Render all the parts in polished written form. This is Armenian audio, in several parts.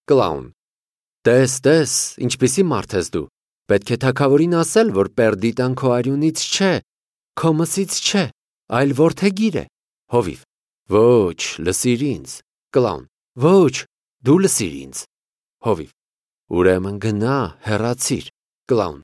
Կլաուն. Տես, ինչպիսի մարդ ես դու, պետք է թագավորին ասել, որ Պերդիտան քո արյունից չէ, քո մսից չէ, այլ որդեգիր է, հովիվ, ոչ, լսիր ինձ, Կլաուն, ոչ, դու լսիր ինձ, հովիվ, ուրեմն գնա, հեռացիր, Կլաուն,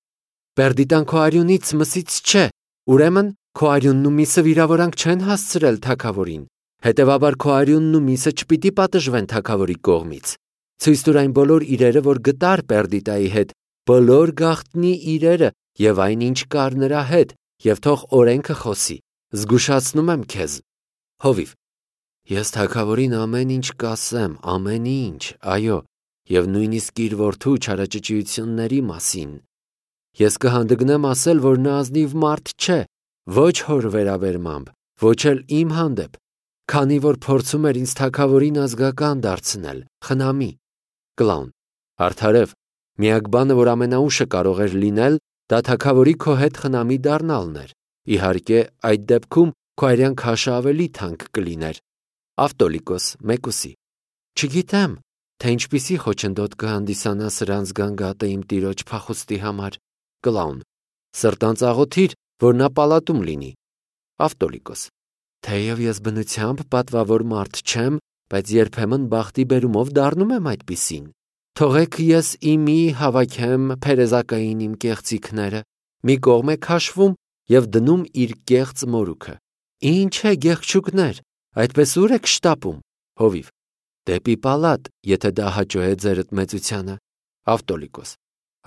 Պերդիտան քո արյունից մսից չէ, ուրեմն քո արյունն ու միսը վիրավորանք չեն հասցրել թագավորին, հետևաբար քո արյունն ու միսը չպիտի պատժվեն թագավորի կողմից, ցույց տուր այն բոլոր իրերը, որ գտար Պերդիտայի հետ, բոլոր գաղտնի իրերը և այն, ինչ կար նրա հետ, և թող օրենքը խոսի, զգուշացնում եմ քեզ, հովիվ, ես թագավորին ամեն ինչ կասեմ, ամեն ինչ, այո, և նույնիսկ իր որդու չարաճճիությունների մասին, ես կհանդգնեմ ասել, որ նա ազնիվ մարդ չէ, ոչ հոր վերաբերմամբ, ոչ էլ իմ հանդեպ, քանի որ փորձում էր ինձ թագավորին ազգական դարձնել, խնամի, Կլաուն, արդարև, միակ բանը, որ ամենաուշը կարող էր լինել, դա թագավորի քո հետ խնամի դառնալն էր, իհարկե, այդ դեպքում քո արյան քաշը ավելի թանկ կլիներ, Ավտոլիկոս, մեկուսի, չգիտեմ, թե ինչպիսի խոչընդոտ կհանդիսանա սրանց գանգատը իմ տիրոջ փախուստի համար, Կլաուն, սրտանց աղոթիր, որ նա պալատում լինի, Ավտոլիկոս, թեև ես բնությամբ պատվավոր մարդ չեմ, բայց երբեմն բախտի բերումով դառնում եմ այդպիսին, թողեք ես իմի հավաքեմ փերեզակային իմ կեղծիքները, մի կողմ է քաշվում և դնում իր կեղծ մորուքը, ինչ է գեղչուկներ, այդպես ուր եք շտապում, հովիվ, դեպի պալատ, եթե դա հաճո է ձերդ մեծությանը, Ավտոլիկոս,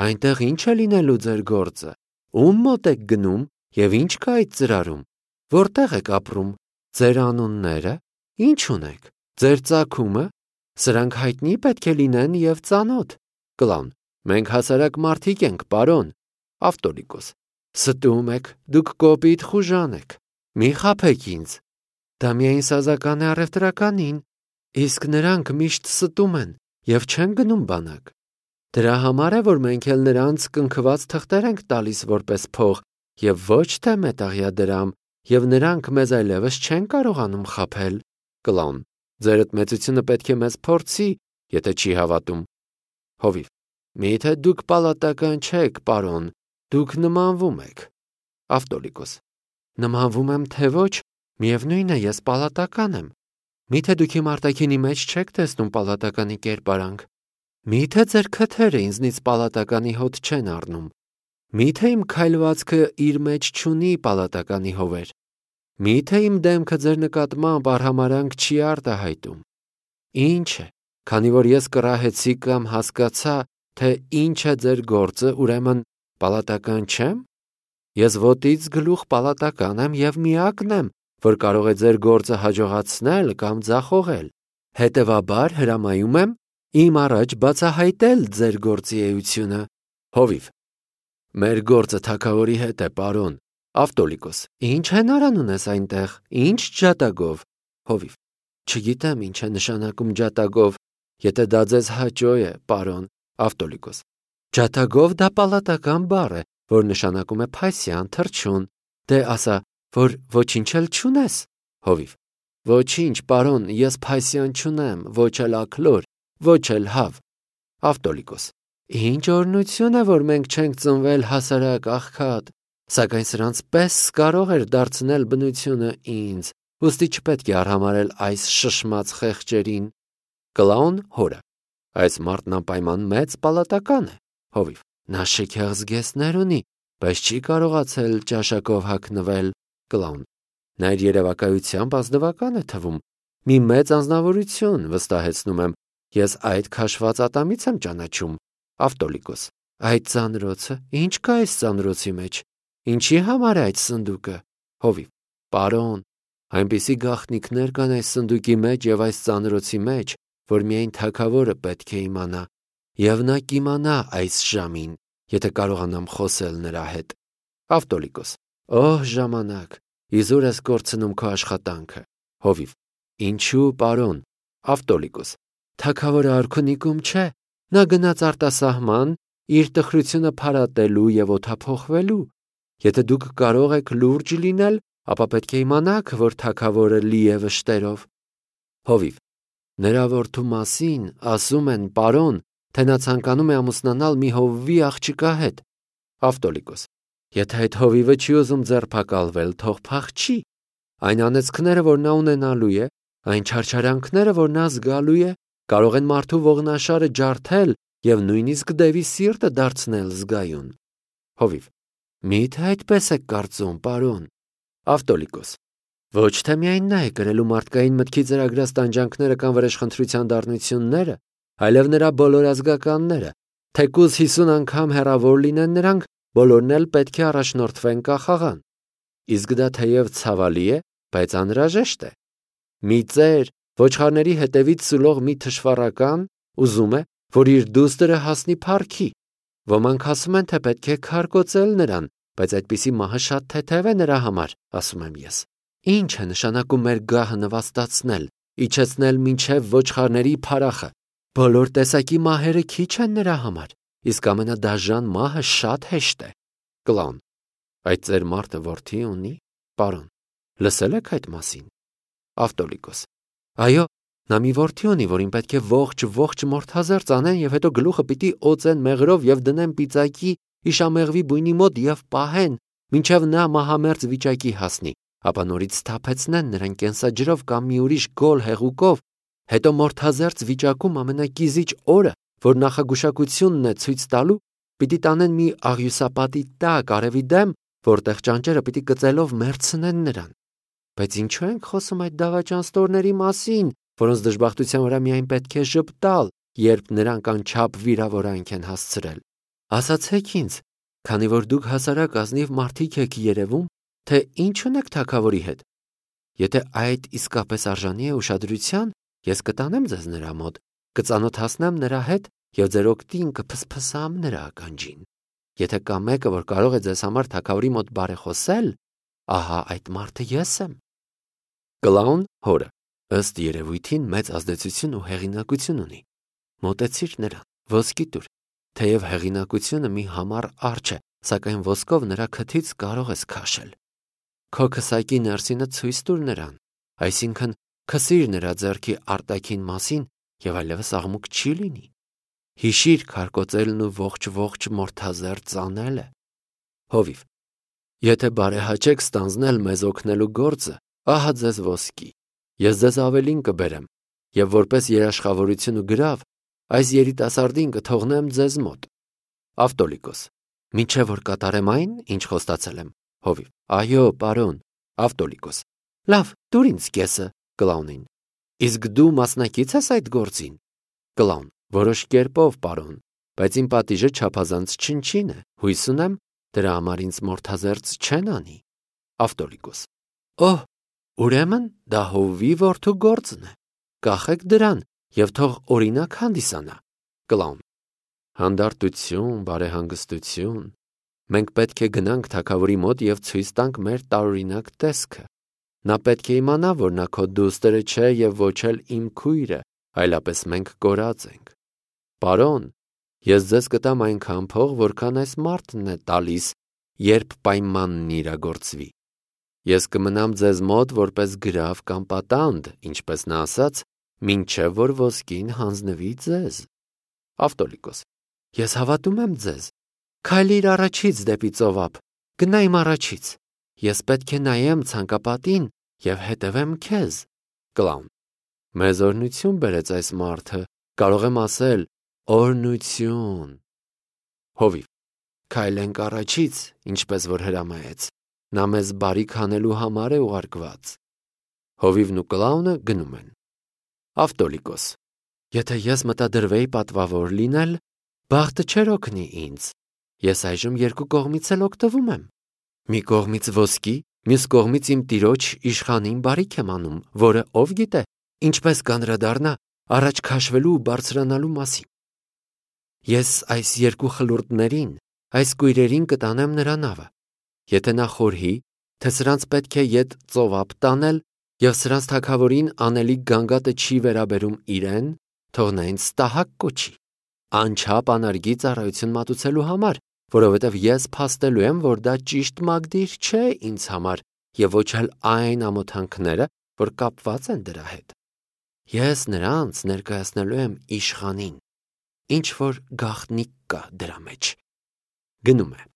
այնտեղ ինչ է լինելու ձեր գործը, ում մոտ եք գնում և ինչ կա այդ ծրարում, որտեղ եք ապրում, ձեր անունները, ինչ ունեք, ձեր ծագումը, սրանք հայտնի պետք է լինեն և ծանոթ, Կլաուն, մենք հասարակ մարդիկ ենք, պարոն, Ավտոլիկոս, ստում եք, դուք կոպիտ խուժան եք, մի խաբեք ինձ, դա միայն սազական է առևտրականին, իսկ նրանք միշտ ստում են և չեն գնում բանակ, դրա համար է, որ մենք էլ նրանց կնքված թղթեր ենք տալիս որպես փող և ոչ թե մետաղյա դրամ և նրանք մեզ այլևս չեն կարողանում խաբել, Կլաուն, ձերդ մեծությունը պետք է մեզ փորձի, եթե չի հավատում, հովիվ, միթե դուք պալատական չեք, պարոն, դուք նմանվում եք, Ավտոլիկոս, նմանվում եմ թե ոչ, միևնույն է ես պալատական եմ, միթե դուք իմ արտաքինի մեջ չեք տեսնում պալատականի կերպարանք, միթե ձեր քթերը ինձնից պալատականի հոտ չեն առնում, միթե իմ քայլվածքը իր մեջ չունի պալատականի հովեր, միթե իմ դեմքը ձեր նկատմամբ արհամարհանք չի արտահայտում, ինչ է, քանի որ ես կռահեցի կամ հասկացա, թե ինչ է ձեր գործը, ուրեմն պալատական չեմ, ես ոտից գլուխ պալատական եմ և միակն եմ, որ կարող է ձեր գործը հաջողացնել կամ ձախողել, հետևաբար հրամայում եմ իմ առաջ բացահայտել ձեր գործի էությունը, հովիվ, մեր գործը թագավորի հետ է, պարոն, Ավտոլիկոս, ինչ հենարան ունես այնտեղ, ինչ ջատագով, հովիվ, չգիտեմ ինչ է նշանակում ջատագով, եթե դա ձեզ հաճո է, պարոն, Ավտոլիկոս, ջատագով դա պալատական բառ է, որ նշանակում է փասյան, թռչուն, դե ասա, որ ոչինչ էլ չունես, հովիվ, ոչինչ, պարոն, ես փասյան չունեմ, ոչ էլ աքլոր, ոչ էլ հավ, Ավտոլիկոս, ինչ օրհնություն է, որ մենք չենք ծնվել հասարակ աղքատ, սակայն սրանց պես կարող էր դարձնել բնությունը ինձ, ուստի չպետք է արհամարհել այս շշմած խեղճերին, Կլաուն հորը, այս մարդն անպայման մեծ պալատական է, հովիվ, նա շքեղ զգեստներ ունի, բայց չի կարողացել ճաշակով հագնվել, Կլաուն, նա իր երևակայությամբ ազնվական է թվում, մի մեծ անձնավորություն, վստահեցնում եմ, ես այդ քաշված ատամից եմ ճանաչում, Ավտոլիկոս, այդ ծանրոցը, ինչ կա այս ծանրոցի մեջ, ինչի համար է այդ սնդուկը, հովիվ, պարոն, այնպիսի գաղտնիքներ կան այս սնդուկի մեջ և այս ծանրոցի մեջ, որ միայն թագավորը պետք է իմանա, և նա կիմանա այս ժամին, եթե կարողանամ խոսել նրա հետ, Ավտոլիկոս, օհ ժամանակ, իզուր ես կորցնում քո աշխատանքը, հովիվ, ինչու, պարոն, Ավտոլիկոս, թագավորը արքունիկում չէ, նա գնաց արտասահման իր տխրությունը փարատելու և օդափոխվելու, եթե դուք կարող եք լուրջ լինել, ապա պետք է իմանաք, որ թագավորը լի է վշտերով, հովիվ, Նրա որդու մասին ասում են, պարոն, թե նա ցանկանում է ամուսնանալ մի հովվի աղջկա հետ։ Ավտոլիկոս. Եթե այդ հովիվը չի ուզում ձերբակալվել, թող փախչի։ Այն անեծքները, որ նա ունենալու է, այն չարչարանքները, որ նա զգալու է, կարող են մարդու ողնաշարը ջարդել և նույնիսկ դևի սիրտը դարձնել զգայուն։ Հովիվ. Մի՞թե այդպես եք կարծում, պարոն։ Ավտոլիկոս. Ոչ թե միայն նա է կրելու մարդկային մտքի ծրագրած տանջանքները կամ վրեժխնդրության դառնությունները, այլև նրա բոլոր ազգականները, թեկուզ 50 անգամ հեռավոր լինեն նրանք, բոլորն էլ պետք է առաջնորդվեն կախաղան։ Իսկ դա թեև ցավալի է, բայց անհրաժեշտ է։ Մի ծեր, ոչխարների հետևից սուլող մի թշվառական, ուզում է, որ իր դուստրը հասնի փառքի։ Ոմանք ասում են, թե պետք է քարկոծել նրան, բայց այդպիսի մահը շատ թեթև է նրա համար, ասում եմ ես։ Ինչ է նշանակում մեր գահը նվաստացնել, իջեցնել մինչև ոչխարների փարախը։ Բոլոր տեսակի մահերը քիչ են նրա համար, իսկ ամենադաժան մահը շատ հեշտ է։ Կլաուն. Այդ ծեր մարդը որդի ունի, պարոն, լսել եք այդ մասին։ Ավտոլիկոս. Այո, նա մի որդի ունի, որին պետք է ողջ մորթազերծ անեն և հետո գլուխը պիտի օծեն մեղրով և դնեն պիծակի իշամեղվի բույնի մոտ և պահեն, մինչև նա մահամերձ վիճակի հասնի, ապա նորից սթափեցնեն նրան կենսաջրով կամ մի ուրիշ գոլ հեղուկով, հետո մորթազերծ վիճակում ամենակիզիչ օրը, որ նախագուշակությունն է ցույց տալու, պիտի տանեն մի աղյուսապատի տակ արևի դեմ, որտեղ ճանճերը պիտի կծելով մերձնեն նրան։ Բայց ինչու ենք խոսում այդ դավաճան ստորների մասին, որոնց դժբախտության վրա միայն պետք է ժպտալ, երբ նրանք անչափ վիրավորանք են հասցրել։ Ասացեք ինձ, քանի որ դուք հասարակ ազնիվ մարդիկ եք երևում, թե ինչ ունեք թագավորի հետ։ Եթե այդ իսկապես արժանի է ուշադրության, ես կտանեմ ձեզ նրա մոտ, կծանոթացնեմ նրա հետ և ձեր օգտին կփսփսամ նրա ականջին։ Եթե կա մեկը, որ կարող է ձեզ համար թագավորի մոտ բարեխոսել, ահա այդ մարդը ես եմ։ Կլաուն հորը ըստ երևույթին մեծ ազդեցություն ու հեղինակություն ունի։ Մոտեցիր նրան, ոսկի տուր, թեև հեղինակությունը մի համառ արջ է, սակայն ոսկով նրա քթից կարող ես քաշել։ Քո քսակի ներսինը ցույց տուր նրան, այսինքն քսիր նրա ձեռքի արտաքին մասին և այլևս աղմուկ չի լինի։ Հիշիր քարկոծելն ու ողջ մորթազերծ անելը։ Հովիվ. Եթե բարեհաճեք ստանձնել մեզ օգնելու գործը, ահա ձեզ ոսկի։ Ես ձեզ ավելին կբերեմ, և որպես երաշխավորություն ու գրավ, այս երիտասարդին կթողնեմ ձեզ մոտ։ Ավտոլիկոս. Մինչև որ կատարեմ այն, ինչ խոստացել եմ։ Հովիվ. Այո, պարոն։ Ավտոլիկոս. Լավ, տուր ինձ կեսը, Կլաունին։ Իսկ դու մասնակից ես այդ գործին։ Կլաուն. Որոշ կերպով, պարոն, բայց իմ պատիժը չափազանց չնչին է, հույս ունեմ, դրա համար ինձ մորթազերծ չեն անի։ Ավտոլիկոս. Օհ, ուրեմն դա հովվի որդու գործն է։ Կախեք դրան և թող օրինակ հանդիսանա։ Կլաուն. Հանդարտություն, բարեհանգստություն։ Մենք պետք է գնանք թագավորի մոտ և ցույց տանք մեր տարօրինակ տեսքը։ Նա պետք է իմանա, որ նա քո դուստրը չէ և ոչ էլ իմ քույրը, այլապես մենք կորած ենք։ Պարոն, ես ձեզ կտամ այնքան փող, որքան այս մարդն է տալիս, երբ պայմանն իրագործվի։ Ես կմնամ ձեզ մոտ որպես գրավ կամ պատանդ, ինչպես նա ասաց, մինչև որ ոսկին հանձնվի ձեզ։ Ավտոլիկոս. Ես հավատում եմ ձեզ։ Քայլիր առաջից դեպի ծովափ, գնա իմ առաջից։ Ես պետք է նայեմ ցանկապատին և հետևեմ քեզ։ Կլաուն. Մեզ օրհնություն բերեց այս մարդը, կարող եմ ասել օրհնություն։ Հովիվ. Քայլենք առաջից, ինչպես որ հրամայեց։ Նա մեզ բարիք անելու համար է ուղարկված։ Հովիվն ու Կլաունը գնում են։ Ավտոլիկոս. Եթե ես մտադրվեի պատվավոր լինել, բախտը չէր օգնի ինձ։ Ես այժմ երկու կողմից էլ օգտվում եմ։ Մի կողմից ոսկի, մյուս կողմից իմ տիրոջ իշխանին բարիք եմ անում, որը ով գիտե, ինչպես կանդրադառնա առաջ քաշվելու ու բարձրանալու մասին։ Ես այս երկու խլուրդներին, այս կույրերին կտանեմ նրա նավը։ Եթե նա խորհի, թե սրանց պետք է ետ ծովափ տանել, և սրանց թագավորին անելիք գանգատը չի վերաբերում իրեն, թող նա ինձ ստահակ կոչի, անչափ անարգի ծառայություն մատուցելու համար, որովհետև ես փաստելու եմ, որ դա ճիշտ մագդիր չէ ինձ համար և ոչ էլ այն ամոթանքները, որ կապված են դրա հետ։ Ես նրանց ներկայացնելու եմ իշխանին, ինչ որ գաղտնիք կա դրա մեջ։ Գնում է։